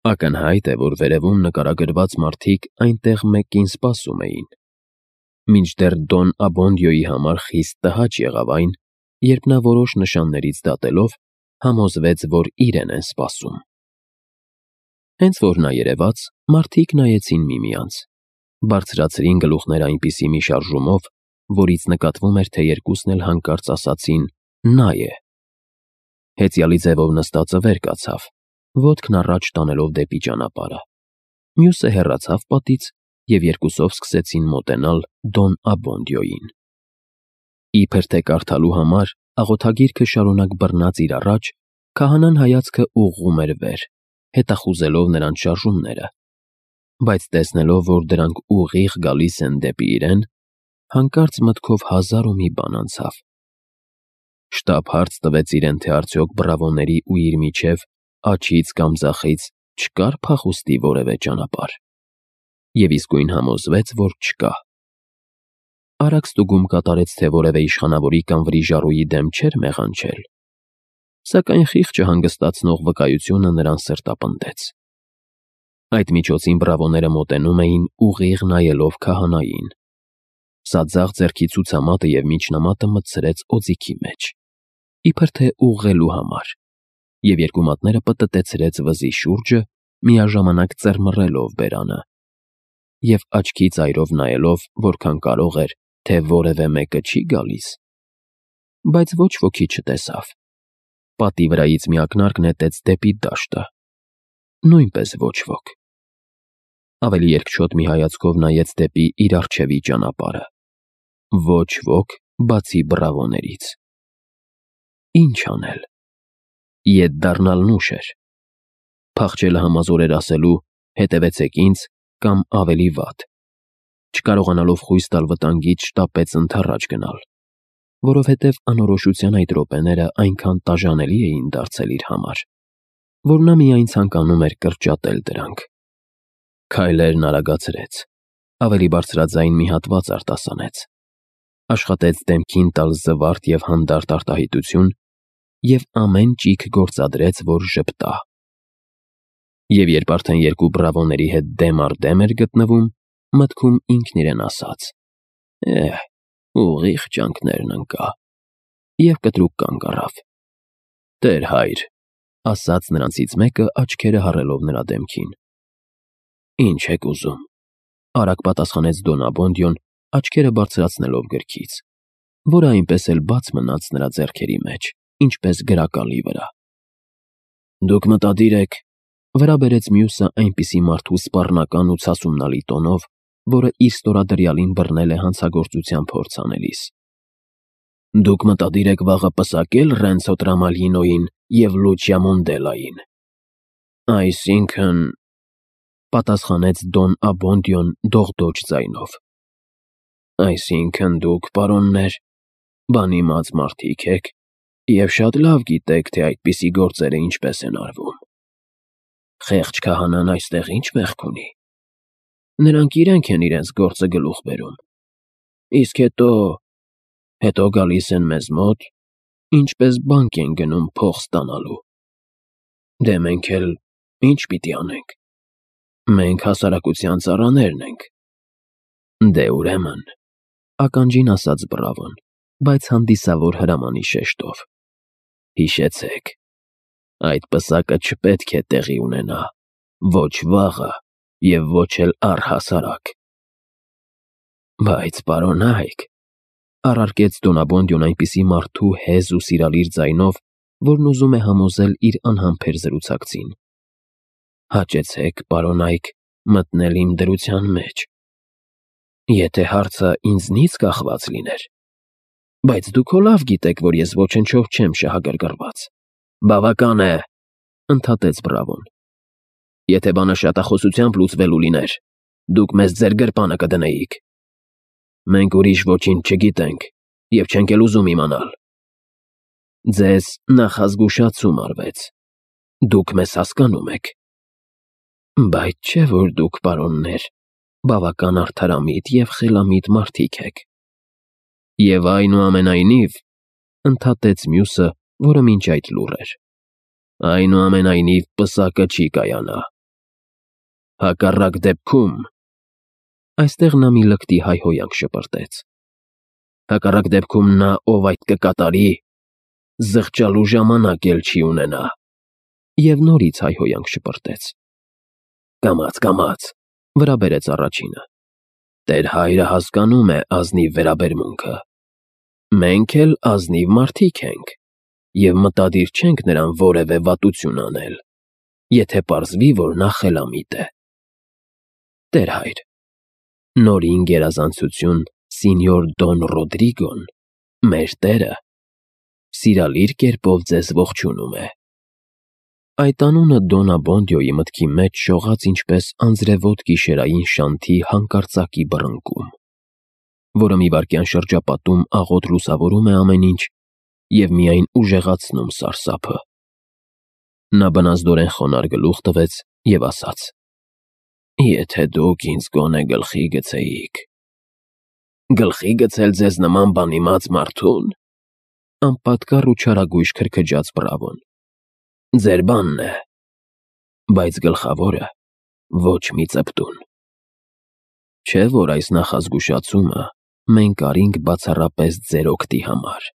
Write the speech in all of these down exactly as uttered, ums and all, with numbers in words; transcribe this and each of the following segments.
Ակնհայտ է, որ վերևում նկարագրված մարդիկ այնտեղ մեկին սպասում էին, մինչդեռ Դոն Աբոնդիոյի համար խիստ տհաճ եղավ այն, երբ նա որոշ նշաններից դատելով համոզվեց, որ իրեն են սպասում։ Հենց որ նա երևաց, մարդիկ նայեցին միմյանց, բարձրացրին գլուխները այնպիսի մի շարժումով, որից նկատվում էր, թե երկուսն էլ հանկարծ ասացին «նա է»։ Հեծյալի ձևով նստածը վեր կացավ, ոտքն առաջ տանելով դեպի ճանապարհը, մյուսը հեռացավ պատից և երկուսով սկսեցին մոտենալ Դոն Աբոնդիոյին։ Իբր թե կարդալու համար աղոթագիրքը շարունակ բռնած իր առաջ, քահանան հայացքը ուղղում էր վեր, հետախուզելով նրանց շարժումները, բայց տեսնելով, որ դրանք ուղիղ գալիս են դեպի իրեն, հանկարծ մտքով հազար ու մի բան անցավ։ Շտապ հարց տվեց իրեն, թե արդյոք բռավոների ու իր միջև աջից կամ ձախից չկար փախուստի որևէ ճանապարհ, և իսկույն համոզվեց, որ չկա։ Արագ ստուգում կատարեց, թե որևէ իշխանավորի կամ վրիժառուի դեմ չէր մեղանչել, սակայն խիղճը հանգստացնող վկայությունը նրան սրտապնդեց։ Այդ միջոցին բռավոները մոտենում էին ուղիղ նայելով քահանային։ Սա ձախ ձեռքի ցուցամատը և միջնամատը մտցրեց օձիքի մեջ, իբր թե ուղղելու համար, և երկու մատները պտտեցրեց վզի շուրջը, միաժամանակ ծռմռելով բերանը, և աչքի ծայրով նայելով, որքան կարող էր, թե որևէ մեկը չի գալիս։ Բայց ոչ ոքի չտեսավ։ Պատի վրայից մի ակնարկ նետեց դեպի դաշտը։ Նույնպես ոչ ոք։ Ավելի երկչոտ մի հայացքով նայեց դեպի իր առջևի ճանապարհը։ Ոչ ոք, բացի բռավոներից։ Ինչ անել։ Ետ դառնալն ուշ էր։ Փախչելը համազոր էր ասելու «հետևեցեք ինձ» կամ ավելի վատ։ Չկարողանալով խույս տալ վտանգից, շտապեց ընդառաջ գնալ, որովհետև անորոշության այդ րոպեները այնքան տաժանելի էին դարձել իր համար, որ նա միայն ցանկանում էր կրճատել դրանք։ Քայլերն արագացրեց, ավելի բարձրաձայն մի հատված արտասանեց, աշխատեց դեմքին տալ զվարթ և հանդարտ արտահայտություն և ամեն ճիգ գործադրեց, որ ժպտա։ Եվ երբ արդեն երկու բռավոների հետ դեմ առ դեմ էր գտնվում, մտքում ինքն իրեն ասաց. «Էհ, ուղիղ ճանկներն ընկա», և կտրուկ կանգ առավ։ «Տեր հայր», ասաց նրանցից մեկը, աչքերը հառելով նրա դեմքին։ «Ինչ եք ուզում», արագ պատասխանեց Դոն Աբոնդիոն, աչքերը բարձրացնելով գրքից, որը այնպես էլ բաց մնաց նրա ձեռքերի մեջ, ինչպես գրակալի վրա։ «Դուք մտադիր եք», վրա բերեց մյուսը այնպիսի մարդու սպառնական ու ցասումնալի տոնով, որը իր ստորադրյալին բռնել է հանցագործության փորձ անելիս։ «Դուք մտադիր եք վաղը պսակել Ռենցո Տրամալինոյին և Լուչիա Մոնդելային»։ «Այսինքն,» պատասխանեց Դոն Աբոնդիոն դողդոջ ձայնով, «այսինքն դուք, պարոններ, բանիմաց մարդիկ եք և շատ լավ գիտեք, թե այդպիսի գործերը ինչպես են արվում։ Խեղճ քահանան այստեղ ի՞նչ մեղք ունի։ Նրանք իրենք են իրենց գործը գլուխ բերում, իսկ հետո… հետո գալիս են մեզ մոտ, ինչպես բանկ են գնում փող ստանալու։ Դե մենք էլ ի՞նչ պիտի անենք։ Մենք հասարակության ծառաներն ենք»։ «Դե ուրեմն», ականջին ասաց բռավոն, բայց հանդիսավոր հրամանի շեշտով, «հիշեցեք, այդ պսակը չպետք է տեղի ունենա ոչ վաղը և ոչ էլ առհասարակ»։ «Բայց, պարոնայք», առարկեց Դոն Աբոնդիոն այնպիսի մարդու հեզ ու սիրալիր ձայնով, որն ուզում է համոզել իր անհամբեր զրուցակցին, «հաճեցեք, պարոնայք, մտնել իմ դրության մեջ։ Եթե հարցը ինձնից կախված լիներ… Բայց դուք հո լավ գիտեք, որ ես ոչնչով չեմ շահագրգռված»։ «Բավական է», ընդհատեց բռավոն։ «Եթե բանը շատախոսությամբ լուծվելու լիներ, դուք մեզ ձեր գրպանը կդնեիք։ Մենք ուրիշ ոչինչ չգիտենք և չենք էլ ուզում իմանալ։ Ձեզ նախազգուշացում արվեց, դուք մեզ հասկանում եք։ Բայց չէ՞ որ դուք, պարոններ, բավական արդարամիտ և խելամիտ մարդիկ եք։ Եվ այնուամենայնիվ», ընդհատեց մյուսը, որը մինչ այդ լուռ էր, «այնուամենայնիվ պսակը չի կայանա, Հակառակ դեպքում… Այստեղ նա մի լկտի հայհոյանք շպրտեց։ Հակառակ դեպքում նա, ով այդ կկատարի, զղջալու ժամանակ էլ չի ունենա։ Եվ նորից հայհոյանք շպրտեց։ Կամաց, կամաց, վրա բերեց առաջինը։ Տեր հայրը հասկանում է ազնիվ վերաբերմունքը։ Մենք էլ ազնիվ մարդիկ ենք, և մտադիր չենք նրան որևէ վատություն անել, եթե պարզվի, որ նա խելամիտ է։ Տեր հայր, նորին գերազանցություն սինյոր Դոն Ռոդրիգոն, մեր տերը, սիրալիր կերպով ձեզ ողջունում է։ Այդ անունը Դոն Աբոնդիոյի մտքի մեջ շողաց ինչպես անձրևոտ գիշերային շանթի հանկարծակի բռնկում, որը մի վայրկյան շրջապատում աղոտ լուսավորում է ամեն ինչ և միայն ուժեղացնում սարսափը։ Նա բնազդորեն խոնարհ գլուխ տվեց և ասաց. «Եթե դուք ինձ գոնե գլխի գցեիք»։ «Գլխի գցել ձեզ նման բանիմաց մարդու՞ն»։ Անպատկառ ու չարագույժ քրքջաց Բրավոն։ Ձեր բանն է, բայց գլխավորը ոչ մի ծպտուն։ Չէ՞ որ այս նախազգուշացումը մենք արինք բացառապես ձեր օգտի համար։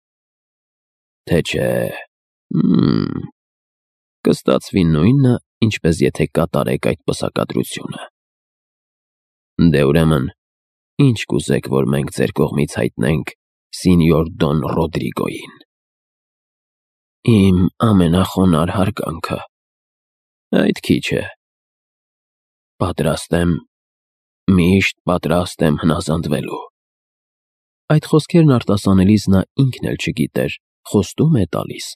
Թե չէ… Հմ… Կստացվի նույնը, ինչպես եթե կատարեք այդ պսակադրությունը։ Դե ուրեմն, ինչ կուզեք, որ մենք ձեր կողմից հայտնենք սինյոր Դոն Ռոդրիգոյին։ Իմ ամենախոնարհ հարգանքը։ Այդ քիչ է։ Պատրաստ եմ, միշտ պատրաստ եմ հնազանդվելու։ Այդ խոսքերն արտասանելիս նա ինքն էլ չգիտեր խոստո՞ւմ է տալիս,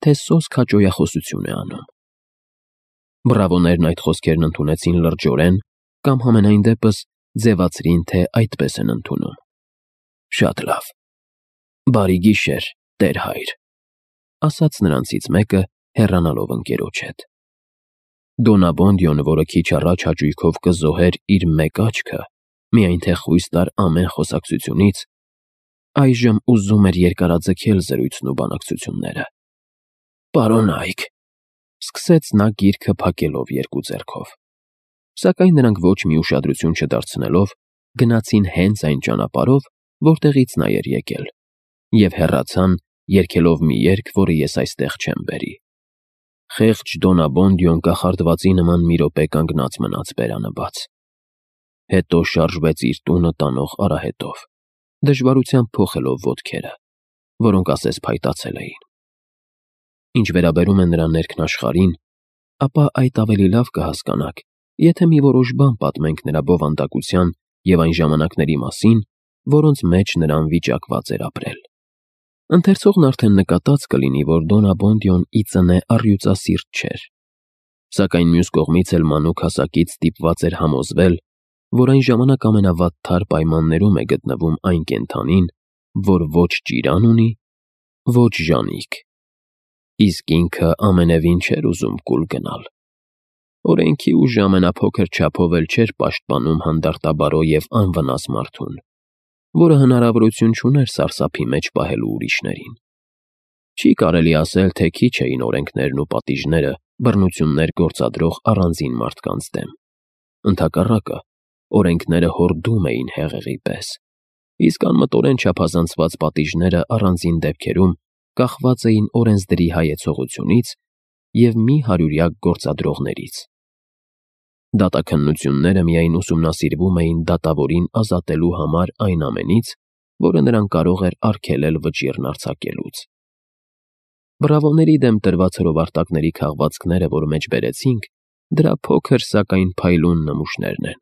թե սոսկ հաճոյախոսություն է անում։ Բրավոներն այդ խոսքերն ընդունեցին լրջորեն կամ համենայն դեպս ձևացրին, թե այդպես են ընդունում։ Շատ լավ։ Բարի գիշեր, Տեր հայր, ասաց նրանցից մեկը, հեռանալով ընկերոջ հետ։ Դոն Աբոնդիոն, որը քիչ առաջ հաճույքով կզոհեր իր մեկ աչքը, միայն թե խույս տար ամեն խոսակցությունից, այժմ ուզում էր երկարաձգել զրույցն ու բանակցությունները։ Պարոն Այք, սկսեց նա գիրքը փակելով երկու ձեռքով։ Սակայն նրանք ոչ մի ուշադրություն չդարձնելով, գնացին հենց այն ճանապարհով, որտեղից նա էր եկել, և հեռացան, երգելով մի երգ, որը ես այստեղ չեմ բերի։ Խեղճ Դոն Աբոնդիոն կախարդվածի նման մի րոպե կանգնած մնաց բերանը բաց։ Հետո շարժվեց իր տունը տանող արահետով, դժվարությամբ փոխելով ոտքերը, որոնք ասես փայտացել էին։ Ինչ վերաբերում է նրա ներքնաշխարհին, ապա այդ ավելի լավ կհասկանաք, եթե մի որոշ բան պատմենք նրա բովանդակության և այն ժամանակների մասին, որոնց մեջ նրան վիճակված էր ապրել։ Ընթերցողն արդեն նկատած կլինի, որ Դոն Աբոնդիոն ի ծնե առյուծասիրտ չէր, սակայն մյուս կողմից էլ մանուկ հասակից ստիպված էր համոզվել, որ այն ժամանակ ամենավատթար պայմաններում է գտնվում այն կենդանին, որ ոչ ճիրան ունի, ոչ ժանիք, իսկ ինքը ամենևին չէր ուզում կուլ գնալ։ Օրենքի ուժը ամենափոքր չափով էլ չէր պաշտպանում հանդարտաբարո և անվնաս մարդուն, որը հնարավորություն չուներ սարսափի մեջ պահելու ուրիշներին։ Չի կարելի ասել, թե քիչ էին օրենքներն ու պատիժները բռնություններ գործադրող առանձին մարդկանց դեմ։ Ընդհակառակը, օրենքները հորդում էին հեղեղի պես, իսկ անմտորեն չափազանցված պատիժները առանձին դեպքերում կախված էին օրենսդրի հայեցողությունից և մի հարյուրյակ գործադրողներից։ Դատաքննությունները միայն ուսումնասիրվում էին դատավորին ազատելու համար այն ամենից, որը նրան կարող էր արգելել վճիռն արձակելուց։ Բրավոների դեմ տրված հրովարտակների քաղվածքները, որ մեջ բերեցինք, դրա փոքր, սակայն փայլուն նմուշներն են։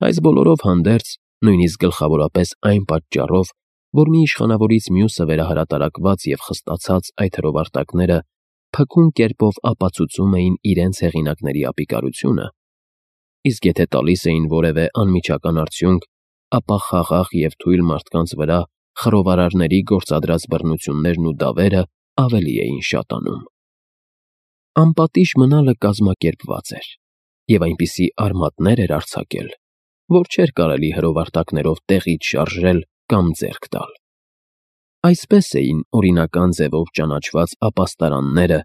Այս բոլորով հանդերձ, նույնիսկ գլխավորապես այն պատճառով, որ մի իշխանավորից մյուսը վերահրատարակված և խստացած այդ հրովարտակները փքուն կերպով ապացուցում էին իրենց հեղինակների ապիկարությունը, իսկ եթե տալիս էին որևէ անմիջական արդյունք, ապա խաղաղ և թույլ մարդկանց վրա խռովարարների գործադրած բռնություններն ու դավերը ավելի էին շատանում։ Անպատիժ մնալը կազմակերպված էր և այնպիսի արմատներ էր արձակել, որ չէր կարելի հրովարտակներով տեղից շարժել կամ ձեռք տալ։ Այսպես էին օրինական ձևով ճանաչված ապաստարանները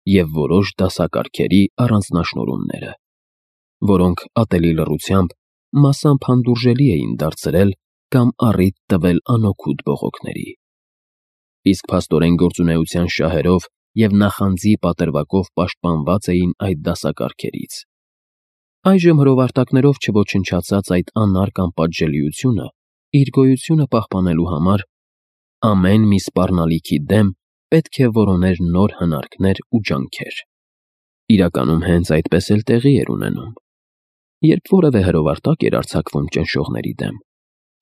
և որոշ դասակարգերի առանձնաշնորհումները։ որոնք ատելի լռությամբ մասամբ հանդուրժելի էին դարձրել կամ առիթ տվել անօգուտ բողոքների։ Իսկ փաստորեն գործունեության շահերով և նախանձի պատրվակով պաշտպանված էին այդ դասակարգերից։ Այժմ հրովարտակներով չոչնչացած այդ անարգ անպատժելիությունը իր գոյությունը պահպանելու համար ամեն մի սպառնալիքի դեմ պետք է որոներ նոր հնարքներ ու ջանքեր։ Իրականում հենց այդպես էլ տեղի էր ունենում։ Երբ որևէ հրովարտակ էր արձակվում ճնշողների դեմ,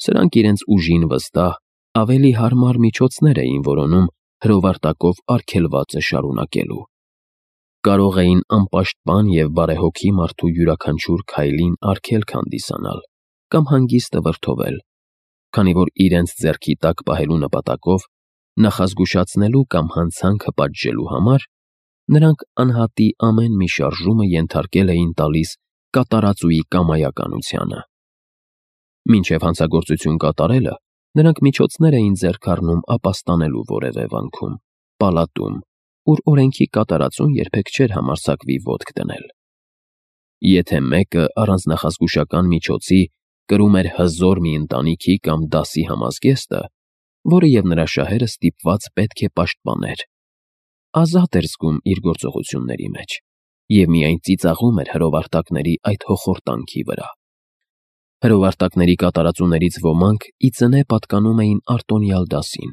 սրանք իրենց ուժին վստահ, ավելի հարմար միջոցներ էին որոնում հրովարտակով արգելվածը շարունակելու։ Կարող էին անպաշտպան և բարեհոգի մարդու յուրաքանչյուր քայլին արգելք հանդիսանալ կամ հանգիստը վրդովել, քանի որ իրենց ձեռքի տակ պահելու նպատակով, նախազգուշացնելու կամ հանցանքը պատժելու համար, նրանք անհատի ամեն մի շարժումը ենթարկել էին տալիս կատարածուի կամայականությանը։ Մինչև հանցագործություն կատարելը նրանք միջոցներ էին ձեռք առնում ապաստանելու որևէ վանքում, պալատում, ուր օրենքի կատարածուն երբեք չէր համարձակվի ոտք դնել։ Եթե մեկը առանց նախազգուշական միջոցի կրում էր հզոր մի ընտանիքի կամ դասի համազգեստը, որը և նրա շահերը ստիպված պետք է պաշտպաներ, ազատ էր զգում իր գործողությունների մեջ և միայն ծիծաղում էր հրովարտակների այդ հոխորտանքի վրա։ Հրովարտակների կատարածուներից ոմանք ի ծնե պատկանում էին արտոնյալ դասին,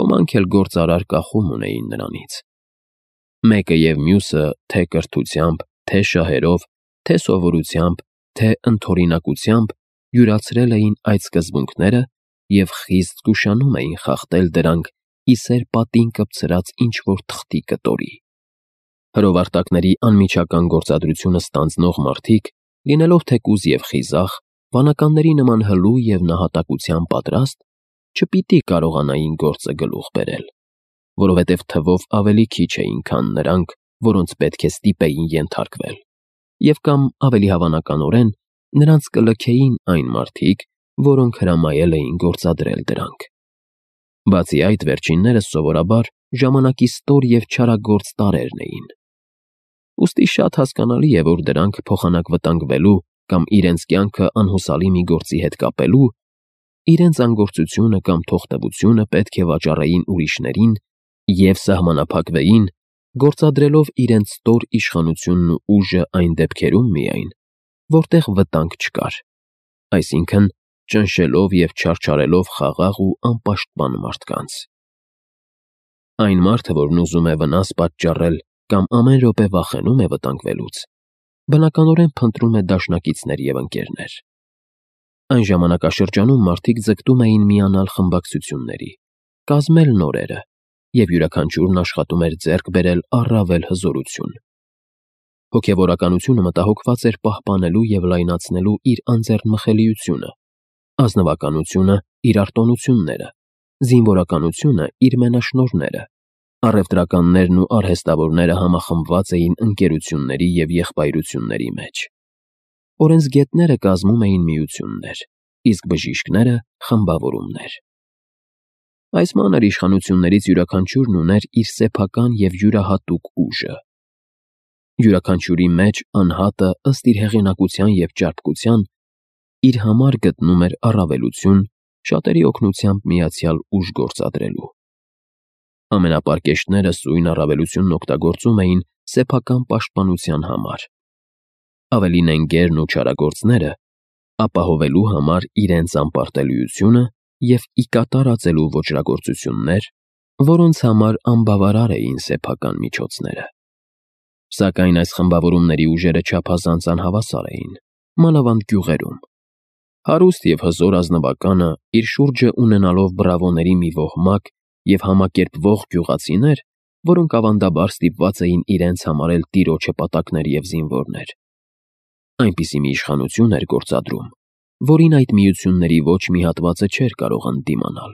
ոմանք էլ գործարար կախում ունեին նրանից։ Մեկը և մյուսը թե կրթությամբ, թե շահերով, թե սովորությամբ, թե ընդօրինակությամբ յուրացրել էին այդ սկզբունքները և խիստ զգուշանում էին խախտել դրանք ի սեր պատին կպցրած ինչ-որ թղթի կտորի։ Հրովարտակների անմիջական գործադրությունը ստանձնող մարդիկ, լինելով թեկուզ և խիզախ, վանականների նման հլու և նահատակության պատրաստ, չպիտի կարողանային գործը գլուխ բերել, որովհետև թվով ավելի քիչ էին, քան նրանք, որոնց պետք է ստիպեին ենթարկվել, և կամ ավելի հավանականորեն նրանց կլքեին այն մարդիկ, որոնք հրամայել էին գործադրել դրանք։ Բացի այդ, վերջիններս սովորաբար ժամանակի ստոր և չարագործ տարրերն էին։ Ուստի շատ հասկանալի է, որ դրանք փոխանակ-վտանգվելու կամ իրենց կյանքը անհուսալի մի գործի հետ կապելու, իրենց անգործությունը կամ թողտվությունը պետք է վաճառեին ուրիշներին և սահմանափակվեին, գործադրելով իրենց ստոր իշխանությունն ու ուժը այն դեպքերում միայն, որտեղ վտանգ չկար, այսինքն՝ ճնշելով և չարչարելով խաղաղ ու անպաշտպան մարդկանց։ Այն մարդը, որն ուզում է վնաս պատճառել կամ ամեն րոպե վախենում է վտանգվելուց, բնականորեն փնտրում է դաշնակիցներ և ընկերներ։ Այն ժամանակաշրջանում մարդիկ ձգտում էին միանալ խմբակցությունների, կազմել նորերը, և յուրաքանչյուրն աշխատում էր ձեռք բերել առավել հզորություն։ Հոգևորականությունը մտահոգված էր պահպանելու և լայնացնելու իր անձեռնմխելիությունը, ազնվականությունը՝ իր արտոնությունները, զինվորականությունը՝ իր մենաշնորհները, առևտրականներն ու արհեստավորները համախմբված էին ընկերությունների և եղբայրությունների մեջ։ Օրենսգետները կազմում էին միություններ, իսկ բժիշկները՝ խմբավորումներ։ Այս մանր իշխանություններից յուրաքանչյուրն ուներ իր սեփական և յուրահատուկ ուժը։ Յուրաքանչյուրի մեջ անհատը, ըստ իր հեղինակության և ճարպկության, իր համար գտնում էր առավելություն շատերի օգնությամբ միացյալ ուժ գործադրելու։ Ամենապարկեշտները սույն առավելությունն օգտագործում էին սեփական պաշտպանության համար, ավելի նենգերն ու չարագործները՝ ապահովելու համար իրենց անպարտելիությունը և ի կատար ածելու ոճրագործություններ, որոնց համար անբավարար էին սեփական միջոցները։ Սակայն այս խմբավորումների ուժերը չափազանց անհավասար էին, մանավանդ գյուղերում։ Հարուստ և հզոր ազնվականը, իր շուրջը ունենալով բռավոների մի ոհմակ և համակերպվող գյուղացիներ, որոնք ավանդաբար ստիպված էին իրենց համարել տիրոջը պատակներ և զինվորներ, այնպիսի մի իշխանություն էր գործադրում, որին այդ միությունների ոչ մի հատվածը չէր կարող ընդդիմանալ։